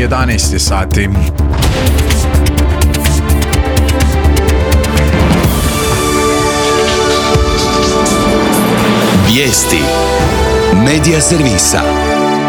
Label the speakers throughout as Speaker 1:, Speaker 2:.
Speaker 1: 11 sati.
Speaker 2: Vijesti Medija servisa.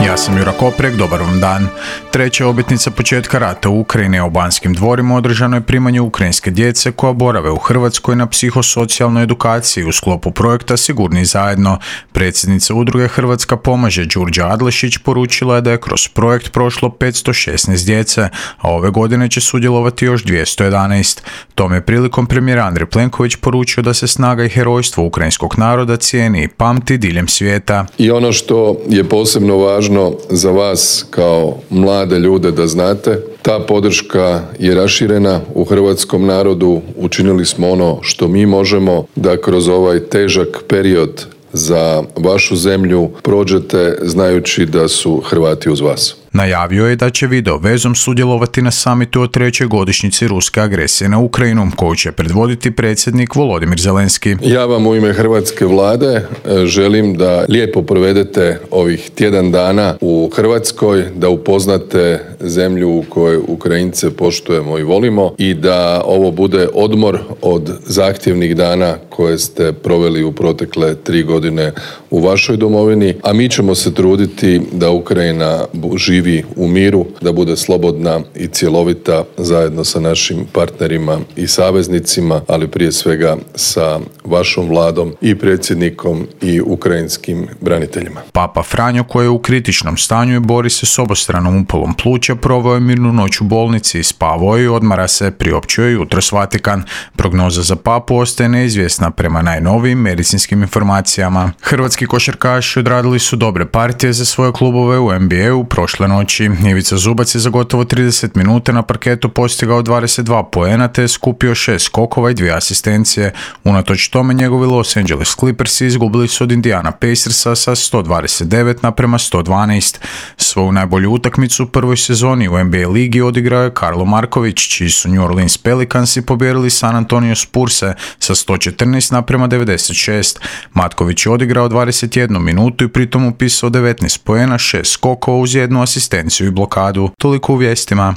Speaker 1: Ja sam Jura Koprek, dobar vam dan. Treća obljetnica početka rata u Ukrajini, u Banskim dvorima održano je primanje ukrajinske djece koja borave u Hrvatskoj na psihosocijalnoj edukaciji u sklopu projekta Sigurni zajedno. Predsjednica udruge Hrvatska pomaže Đurđa Adlešić poručila je da je kroz projekt prošlo 516 djece, a ove godine će sudjelovati još 211. Tom je prilikom premijer Andrej Plenković poručio da se snaga i herojstvo ukrajinskog naroda cijeni i pamti diljem svijeta.
Speaker 3: I ono što je posebno važno za vas kao mlade ljude da znate, ta podrška je raširena u hrvatskom narodu. Učinili smo ono što mi možemo da kroz ovaj težak period za vašu zemlju prođete znajući da su Hrvati uz vas.
Speaker 1: Najavio je da će video vezom sudjelovati na samitu o trećoj godišnjici ruske agresije na Ukrajinu, koju će predvoditi predsjednik Volodimir Zelenski.
Speaker 3: Ja vam u ime hrvatske vlade želim da lijepo provedete ovih tjedan dana u Hrvatskoj, da upoznate zemlju u kojoj Ukrajince poštujemo i volimo i da ovo bude odmor od zahtjevnih dana koje ste proveli u protekle 3 godine u vašoj domovini, a mi ćemo se truditi da Ukrajina živi u miru, da bude slobodna i cjelovita zajedno sa našim partnerima i saveznicima, ali prije svega sa vašom vladom i predsjednikom i ukrajinskim braniteljima.
Speaker 1: Papa Franjo, koji je u kritičnom stanju i bori se s obostranom upalom pluća, proveo je mirnu noć u bolnici, spavao i odmara se, priopćio je jutros Vatikan. Prognoza za papu ostaje neizvjesna prema najnovijim medicinskim informacijama. Hrvatski košarkaši odradili su dobre partije za svoje klubove u NBA-u prošle noći. Ivica Zubac je za gotovo 30 minuta na parketu postigao 22 poena te je skupio 6 skokova i 2 asistencije. Unatoč tome njegovi Los Angeles Clippersi izgubili su od Indiana Pacersa sa 129-112. Svoju najbolju utakmicu u prvoj sezoni u NBA ligi odigrao je Karlo Marković, čiji su New Orleans Pelicansi pobijedili San Antonio Spurse sa 114-96. Matković je odigrao 21 minutu i pritom upisao 19 poena, 6 skokova uz 1 asistenciju i blokadu. Toliko u vijestima.